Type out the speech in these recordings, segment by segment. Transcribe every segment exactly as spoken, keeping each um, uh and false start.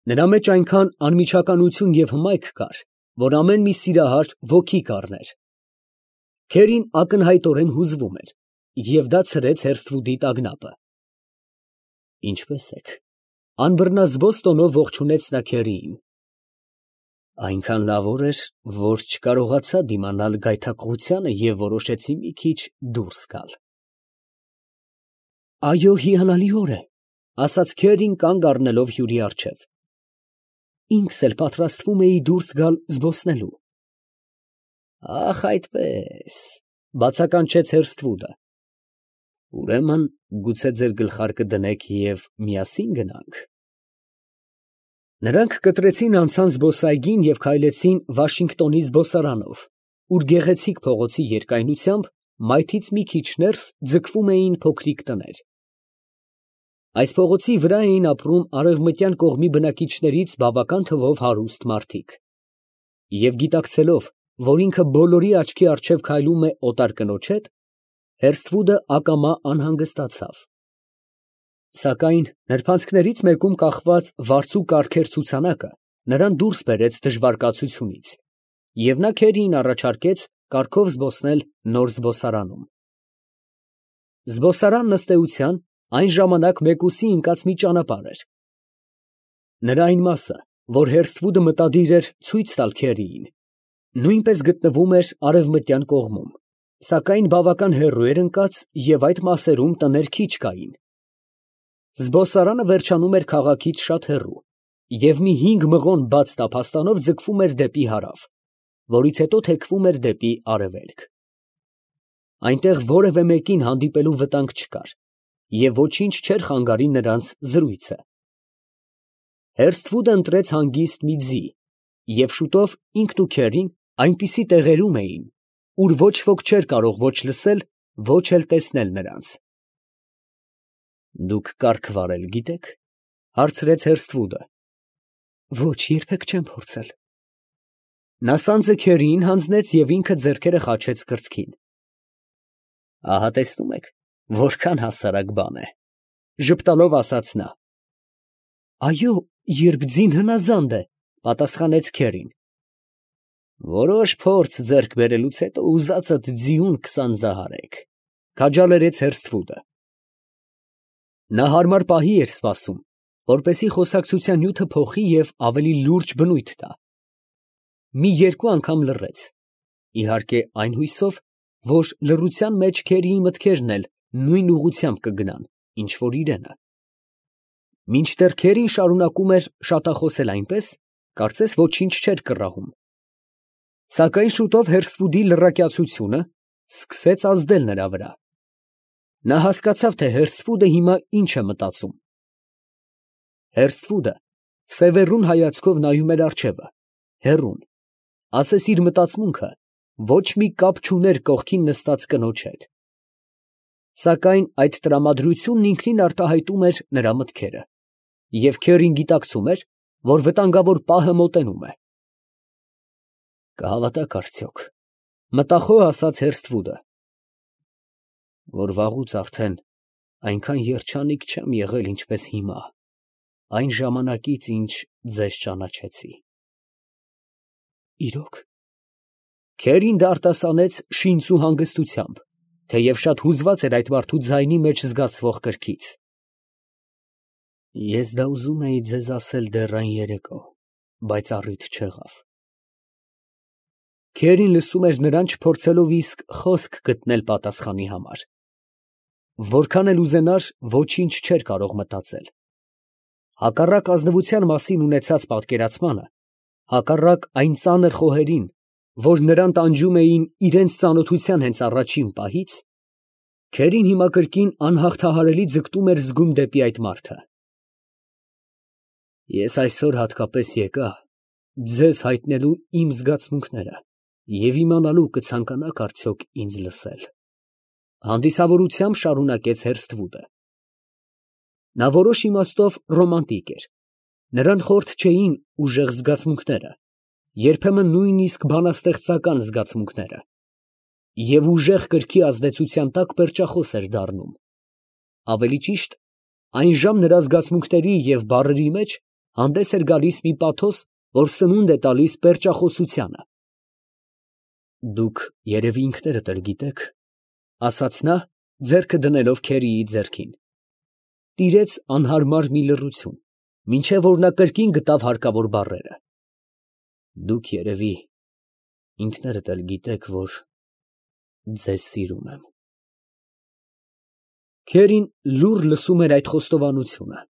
Նրա մեջ այնքան անմիջականություն և հմայք կար, որ ամեն մի սիրահար ոգի կառներ։ Քերին ակնհայտորեն հուզվում էր, և դա ցրեց հերթվուդի տագնապը։ ֊ Ինչպե՞ս եք, ֊ անբռնազբոս տոնով ողջունեց նա քերիին։ ֊ Այնքան լավոր էր, որ չկարողացա դիմանալ գայթակղությանը և որոշեցի մի քիչ դուրս գալ։ ֊ Այո, հիանալի օր է, ֊ ասաց քերին կանգ առնելով հյուրի առջև։ ֊ Ինքս էլ պատրաստվում էի դուրս գալ զբոսնելու։ ֊ Ա՜խ, այդպես, ֊ բացականչեց հերթվուդը։ ֊ Ուրեմն գուցե ձեր գլխարկը դնեք և միասին գնա՞նք։ Նրանք կտրեցին անցան զբոսայգին և քայլեցին Վաշինգտոնի զբոսարանով, ուր գեղեցիկ փողոցի երկայնությամբ մայթից մի քիչ ներս ձգվում էին փոքրիկ տներ։ Այս փողոցի վրա էին ապրում արևմտյան կողմի բնակիչներից բավական թվով հարուստ մարդիկ։ Եվ գիտակցելով, որ ինքը բոլորի աչքի առջև քայլում է օտար կնոջ հետ, Հերթվուդը ակամա անհանգստացավ։ Սակայն նրբանցքներից մեկում կախված վարձու կառքեր ցուցանակը նրան դուրս բերեց դժվար կացությունից, և նա քերիին առաջարկեց կառքով զբոսնել նոր զբոսարանում։ Զբոսարանն ըստ էության այն ժամանակ մեկուսի ընկած մի ճանապարհ էր։ Նրա այն մասը, որ Հերթվուդը մտադիր էր ցույց տալ քերիին, նույնպես գտնվում էր արևմտյան կողմում, սակայն բավական հեռու էր ընկած և այդ մասերում տներ քիչ կային։ Զբոսարանը վերջանում էր քաղաքից շատ հեռու և մի հինգ մղոն բաց տափաստանով ձգվում էր դեպի հարավ, որից հետո թեքվում էր դեպի արևելք։ Այնտեղ որևէ մեկին հանդիպելու վտանգ չկար, և ոչինչ չէր խանգարի նրանց զրույցը։ Հերթվուդը ընտրեց հանգիստ մի ձի, և շուտով ինքն ու քերին այնպիսի տեղերում էին, ուր ոչ ոք չէր կարող ոչ լսել, ոչ էլ տեսնել նրանց։ ֊ Դուք կառք վարել գիտե՞ք, ֊ հարցրեց Հերթվուդը։ ֊ Ոչ, երբեք չեմ փորձել։ Նա սանձը քերիին հանձնեց և ինքը ձեռքերը խաչեց կրծքին։ ֊ Ահա տեսնում եք, որքան հասարակ բան է, ֊ ժպտալով ասաց նա։ ֊ Այո, երբ ձին հնազանդ է, ֊ պատասխանեց քերին։ ֊ Որոշ փորձ ձեռք բերելուց հետո ուզածդ ձիուն կսանձահարեք, ֊ քաջալերեց Հերթվուդը։ Նա հարմար պահի էր սպասում, որպեսզի խոսակցության նյութը փոխի և ավելի լուրջ բնույթ տա։ Մի երկու անգամ լռեց, իհարկե այն հույսով, որ լռության մեջ քերիի մտքերն էլ նույն ուղղությամբ կգնան, ինչ որ իրենը։ Մինչդեռ քերին շարունակում էր շատախոսել այնպես, կարծես ոչինչ չէր կռահում։ Սակայն շուտով Հերթվուդի լռակյացությունը սկսեց ազդել նրա վրա։ Նա հասկացավ, թե Հերթվուդը հիմա ինչ է մտածում։ Հերթվուդը սևեռուն հայացքով նայում էր առջևը, հեռուն, ասես իր մտածմունքը ոչ մի կապ չուներ կողքին նստած կնոջ հետ։ Սակայն այդ տրամադրությունն ինքնին արտահայտում էր նրա մտքերը, և քերին գիտակցում էր, որ վտանգավոր պահը մոտենում է։ «Կհավատաք արդյոք, ֊ մտախոհ ասաց Հերթվուդը, ֊ որ վաղուց արդեն այնքան երջանիկ չեմ եղել, ինչպես հիմա, այն ժամանակից, ինչ ձեզ ճանաչեցի։ ֊ Իրո՞ք։ Քերին դա արտասանեց շինծու հանգստությամբ, թեև շատ հուզված էր այդ մարդու ձայնի մեջ զգացվող կրքից։ ֊ Ես դա ուզում էի ձեզ ասել դեռ այն երեկո, բայց առիթ չեղավ։ Քերին լսում էր նրան, չփորձելով իսկ խոսք գտնել պատասխանի համար։ Որքան էլ ուզենար, ոչինչ չէր կարող մտածել։ Հակառակ ազնվության մասին ունեցած պատկերացմանը, հակառակ այն ծանր խոհերին, որ նրան տանջում էին իրենց ծանոթության հենց առաջին պահից, քերին հիմա կրկին անհաղթահարելի ձգտում էր զգում դեպի այդ մարդը։ Ես այսօր հատկապես եկա ձեզ հայտնելու իմ զգացմունքները և իմանալու կցանկանաք արդյոք ինձ լսել, ֊ հանդիսավորությամբ շարունակեց Հերթվուդը։ Նա որոշ իմաստով ռոմանտիկ էր, նրան խորթ չէին ուժեղ զգացմունքները, երբեմն նույնիսկ բանաստեղծական զգացմունքները, և ուժեղ կրքի ազդեցության տակ պերճախոս էր դառնում։ Ավելի ճիշտ, այնժամ նրա զգացմունքների և բառերի մեջ հանդես էր գալիս մի պաթոս, որ սնունդ է տալիս պերճախոսությանը։ Դուք երևի ինքներդ էլ գիտեք, ֊ ասաց նա, ձեռքը դնելով Քերիի ձեռքին։ Տիրեց անհարմար մի լռություն, մինչև որ նա կրկին գտավ հարկավոր բառերը։ Դուք երևի ինքներդ էլ գիտեք, որ ձեզ սիրում եմ։ Քերին լուռ լսում էր այդ խոստովանությունը։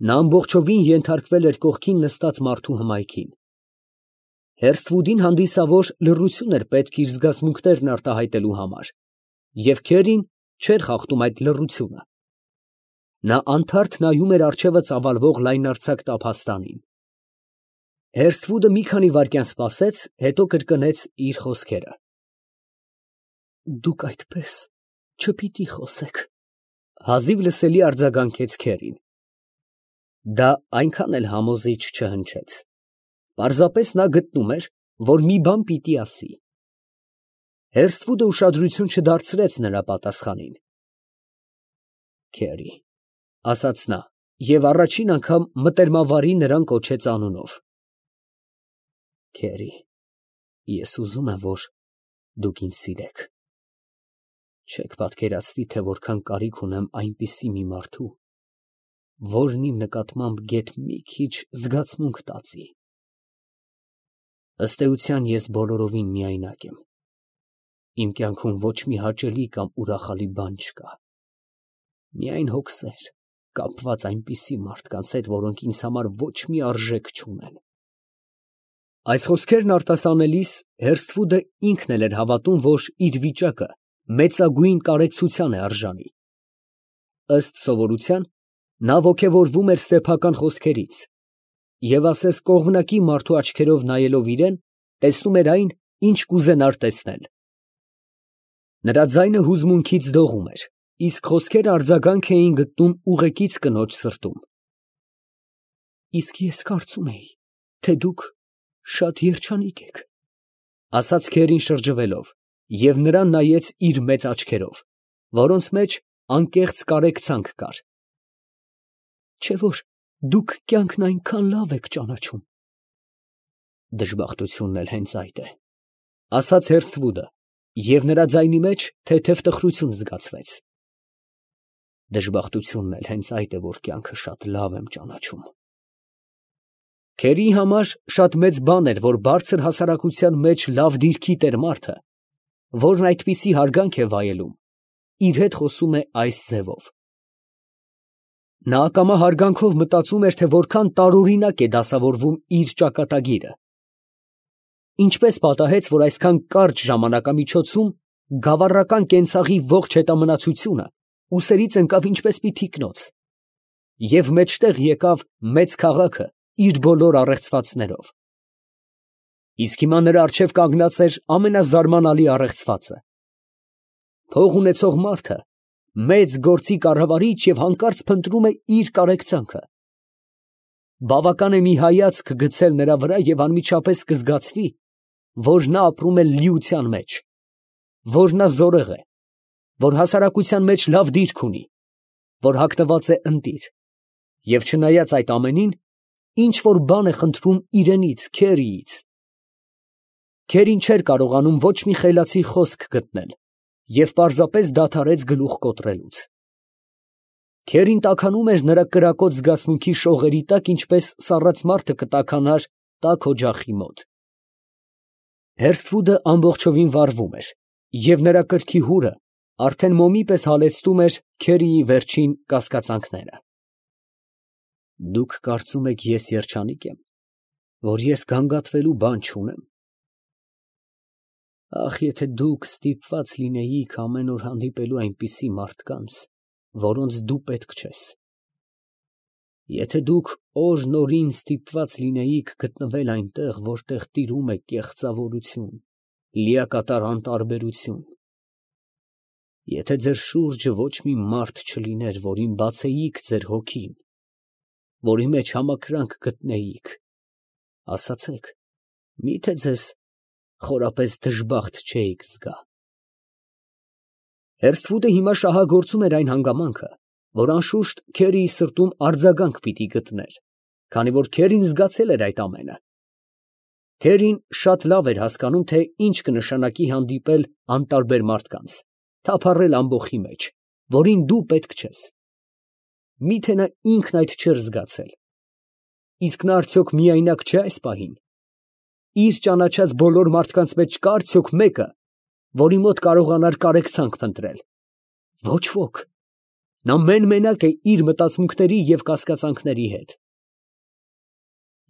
Նա ամբողջովին ենթարկվել էր կողքին նստած մարդու հմայքին։ Հերսթվուդին հանդիսավոր լռություն էր պետք իր զգացմունքներն արտահայտելու համար, և Քերին չէր խախտում այդ լռությունը։ Նա անթարթ նայում էր առջևը ծավալվող լայնարձակ տափաստանին։ Հերսթվուդը մի քանի վայրկյան սպասեց, հետո կրկնեց իր խոսքերը. Դուք այդպես չպիտի խոսեք, հազիվ լսելի արձագանքեց Քերին։ Դա այնքան էլ համոզիչ չհնչեց։ Պարզապես նա գտնում էր, որ մի բան պիտի ասի։ Հերսթվուդը ուշադրություն չդարձրեց նրա պատասխանին։ Քերի, ֊ ասաց նա, և առաջին անգամ մտերմավարի նրան կոչեց անունով։ Քերի, ես ուզում եմ, որ դուք ինձ սիրեք։ Չեք պատկերացնի, թե որքան կարիք ունեմ այնպիսի մի մարդու, որն իմ նկատմամբ գեթ մի քիչ զգացմունք տածի։ Ըստ էության ես բոլորովին միայնակ եմ։ Իմ կյանքում ոչ մի հաճելի կամ ուրախալի բան չկա։ Միայն հոգսեր, կապված այնպիսի մարդկանց հետ, որոնք ինձ համար ոչ մի արժեք չունեն։ Այս խոսքերն արտասանելիս Հերսթվուդը ինքն էլ էր հավատում, որ իր վիճակը մեծագույն կարեկցության է արժանի։ Ըստ սովորության, նա ոգևորվում էր սեփական խոսքերից և ասես կողմնակի մարդու աչքերով նայելով իրան, տեսնում էր այն, ինչ կուզենար տեսնել։ Նրա ձայնը հուզմունքից դողում էր, իսկ խոսքերը արձագանք էին գտնում ուղեկից կնոջ սրտում։ Իսկ ես կարծում էի, թե դուք շատ երջանիկ եք, ֊ ասաց Քերին շրջվելով, և նրան նայեց իր մեծ աչքերով, որոնց մեջ անկեղծ կարեկցանք կար։ Չէ՞ որ դուք կյանքն այնքան լավ եք ճանաչում։ Դժբախտությունն էլ հենց այդ է, ֊ ասաց Հերսթվուդը, և նրա ձայնի մեջ թեթև տխրություն զգացվեց։ Դժբախտությունն էլ հենց այդ է, որ կյանքը շատ լավ եմ ճանաչում։ Քերիի համար շատ մեծ բան էր, որ բարձր հասարակության մեջ լավ դիրքի տեր մարդը, որն այդպիսի հարգանք է վայելում, իր հետ խոսում է այս ձևով։ Նա ակամա հարգանքով մտածում էր, թե որքան տարօրինակ է դասավորվում իր ճակատագիրը։ Ինչպես պատահեց, որ այսքան կարճ ժամանակամիջոցում գավառական կենցաղի ողջ հետամնացությունը ուսերից ընկավ ինչպես մի թիկնոց, և մեջտեղ եկավ մեծ քաղաքը իր բոլոր առեղծվածներով։ Իսկ հիմա նրա առջև կանգնած էր ամենազարմանալի առեղծվածը։ Փող ունեցող մարդը մեծ գործի կառավարիչ և հանկարծ փնտրում է իր կարեկցանքը։ Բավական է մի հայացք գցել նրա վրա և անմիջապես կզգացվի, որ նա ապրում է լիության մեջ, որ նա զորեղ է, որ հասարակության մեջ լավ դիրք ունի, որ հագնված է ընտիր, և չնայած այդ ամենին, ինչ որ բան է խնդրում իրենից, Քերիից։ Քերին չէր կարողանում ոչ մի խելացի խոսք գտնել և պարզապես դադարեց գլուխ կոտրելուց։ Քերին տաքանում էր նրա կրակոտ զգացմունքի շողերի տակ, ինչպես սառած մարդը կտաքանար տաք օջախի մոտ։ Հերսթվուդը ամբողջովին վառվում էր, և նրա կրքի հուրը արդեն մոմի պես հալեցնում էր Քերիի վերջին կասկածանքները։ Դուք կարծում եք, ես երջանիկ եմ, որ ես գանգատվելու բան չունեմ։ Ախ, եթե դուք ստիպված լինեիք ամեն օր հանդիպելու այնպիսի մարդկանց, որոնց դու պետք չես։ Եթե դուք օր֊նորին ստիպված լինեիք գտնվել այնտեղ, որտեղ տիրում է կեղծավորություն, լիակատար անտարբերություն։ Եթե ձեր շուրջը ոչ մի մարդ չլիներ, որին բացեիք ձեր հոգին, որի մեջ համակրանք գտնեիք, ասացեք, մի՞թե ձեզ խորապես դժբախտ չէիք զգա։ Հերսթվուդը հիմա շահագործում էր այն հանգամանքը, որ անշուշտ Քերիի սրտում արձագանք պիտի գտներ, քանի որ Քերին զգացել էր այդ ամենը։ Քերին շատ լավ էր հասկանում, թե ինչ կնշանակի հանդիպել անտարբեր մարդկանց, թափառել ամբոխի մեջ, որին դու պետք չես։ Միթե նա ինքն այդ չէր զգացել։ Իսկ նա արդյոք միայնակ չէ այս պահին։ Իր ճանաչած բոլոր մարդկանց մեջ կա արդյոք մեկը, որի մոտ կարողանար կարեկցանք փնտրել։ Ոչ ոք։ Նա մեն֊մենակ է իր մտածմունքների և կասկածանքների հետ։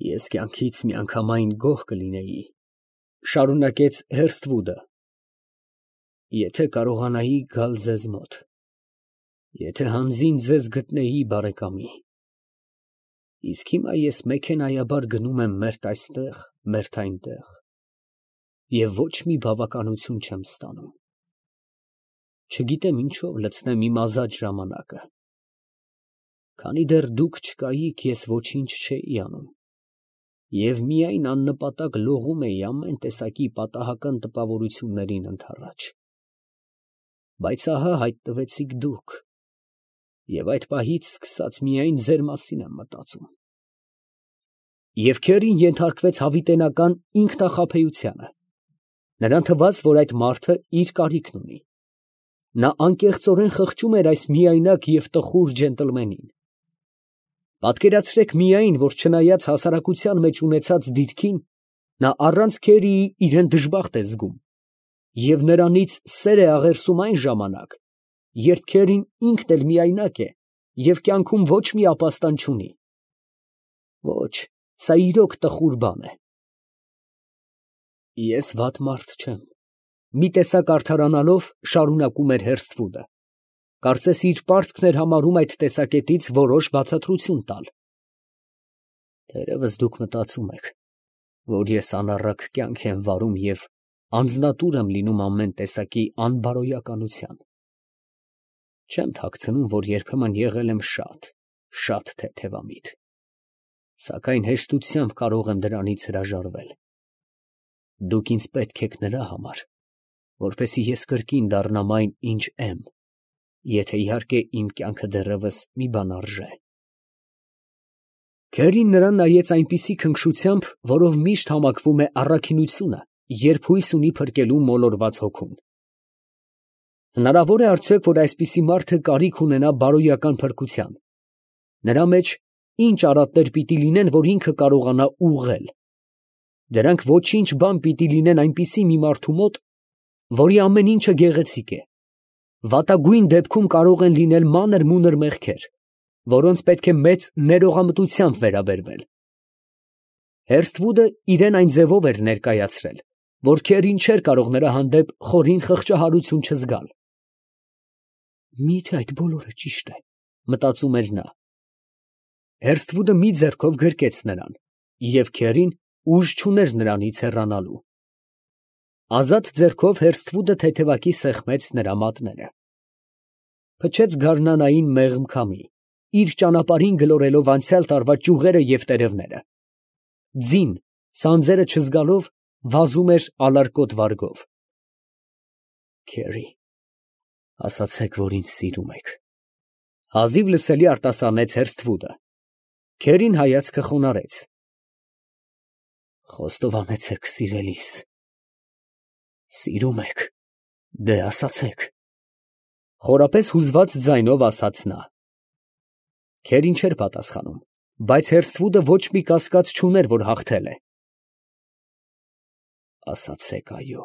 Ես կյանքից միանգամայն գոհ կլինեի, շարունակեց Հերսթվուդը, եթե կարողանայի գալ ձեզ մոտ, եթե հանձին ձեզ գտնեի բարեկամի։ Իսկ հիմա ես մեքենայաբար գնում եմ մերթ այստեղ, մերթ այնտեղ, և ոչ մի բավականություն չեմ ստանում։ Չգիտեմ ինչով լցնեմ իմ ազատ ժամանակը։ Քանի դեռ դուք չկայիք, ես ոչինչ չէի անում, և միայն աննպատակ լողում էի ամեն տեսակի պատահական տպավորություններին ընդառաջ։ Բայց ահա հայտնվեցիք դուք, և այդ պահից սկսած միայն ձեր մասին եմ մտածում։ Եվ Քերին ենթարկվեց հավիտենական ինքնախաբեությանը. նրան թվաց, որ այդ մարդը իր կարիքն ունի։ Նա անկեղծորեն խղճում էր այս միայնակ և տխուր ջենտլմենին։ Պատկերացրեք միայն, որ չնայած հասարակության մեջ ունեցած դիրքին, նա առանց Քերիի իրան դժբախտ է զգում, և նրանից սեր է աղերսում այն ժամանակ, երբ Քերին ինքն էլ միայնակ է և կյանքում ոչ մի ապաստան չունի։ Ոչ, սա իրոք տխուր բան է։ Ես վատ մարդ չեմ, մի տեսակ արդարանալով շարունակում էր Հերսթվուդը, կարծես իր պարտքն էր համարում այդ տեսակետից որոշ բացատրություն տալ։ Թերևս դուք մտածում եք, որ ես անառակ կյանք եմ վարում և անձնատուր եմ լինում ամեն տեսակի անբարոյականության։ Չեմ թաքցնում, որ երբեմն եղել եմ շատ, շատ թեթևամիտ, սակայն հեշտությամբ կարող եմ դրանից հրաժարվել։ Դուք ինձ պետք եք նրա համար, որպեսզի ես կրկին դառնամ այն, ինչ եմ, եթե իհարկե իմ կյանքը դեռևս մի բան արժե։ Քերին նրան նայեց այնպիսի քնքշությամբ, որով միշտ համակվում է առաքինությունը, երբ հույս ունի փրկելու մոլորված հոգուն։ Հնարավոր է արդյոք, որ այսպիսի մարդը կարիք ունենա բարոյական փրկության։ Նրա մեջ ինչ արատներ պիտի լինեն, որ ինքը կարողանա ուղղել։ Դրանք ոչինչ բան պիտի լինեն այնպիսի մի մարդու մոտ, որի ամեն ինչը գեղեցիկ է։ Վատագույն դեպքում կարող են լինել մանր-մունր մեղքեր, որոնց պետք է մեծ ներողամտությամբ վերաբերվել։ Հերսթվուդը իրան այն ձևով էր ներկայացրել, որ Քերին չէր կարող նրա հանդեպ խորին խղճահարություն չզգալ։ Մի՞թե այդ բոլորը ճիշտ է, մտածում էր նա։ Հերսթվուդը մի ձեռքով գրկեց նրան, և Քերին ուժ չուներ նրանից հեռանալու։ Ազատ ձեռքով Հերսթվուդը թեթևակի սեղմեց նրա մատները։ Փչեց գարնանային մեղմ քամի, իր ճանապարհին գլորելով անցյալ տարվա ճյուղերը և տերևները։ Ձին, սանձերը չզգալով, վազում էր ալարկոտ վարգով։ Քերի, ասացեք, որ ինձ սիրում եք, հազիվ լսելի արտասանեց Հերսթվուդը։ Քերին հայացքը խոնարհեց։ Խոստովանեցեք, սիրելիս։ Սիրում եք, դե ասացեք, խորապես հուզված ձայնով ասաց նա։ Քերին չէր պատասխանում, բայց Հերսթվուդը ոչ մի կասկած չուներ, որ հաղթել է։ Ասացեք այո,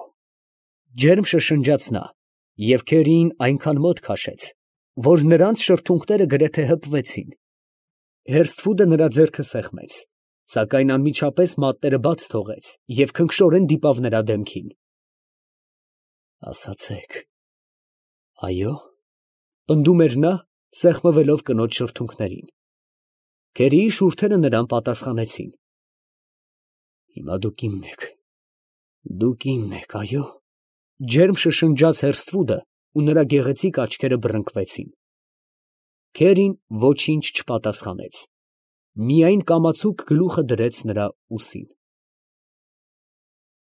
ջերմ շշնջաց նա, և Քերիին այնքան մոտ քաշեց, որ նրանց շրթունքները գրեթե հպվեցին։ Հերսթվուդը նրա ձեռքը սեղմեց, սակայն անմիջապես մատները բաց թողեց և քնքշորեն դիպավ նրա դեմքին։ Ասացեք, այո, պնդում էր նա, սեղմվելով կնոջ շրթունքներին։ Քերիի շուրթերը նրան պատասխանեցին։ Հիմա դուք իմն եք, դուք իմն եք, այո, ջերմ շշնջաց Հերսթվուդը, ու նրա գեղեցիկ աչքերը բռնկվեցին։ Քերին ոչինչ չպատասխանեց, միայն կամացուկ գլուխը դրեց նրա ուսին։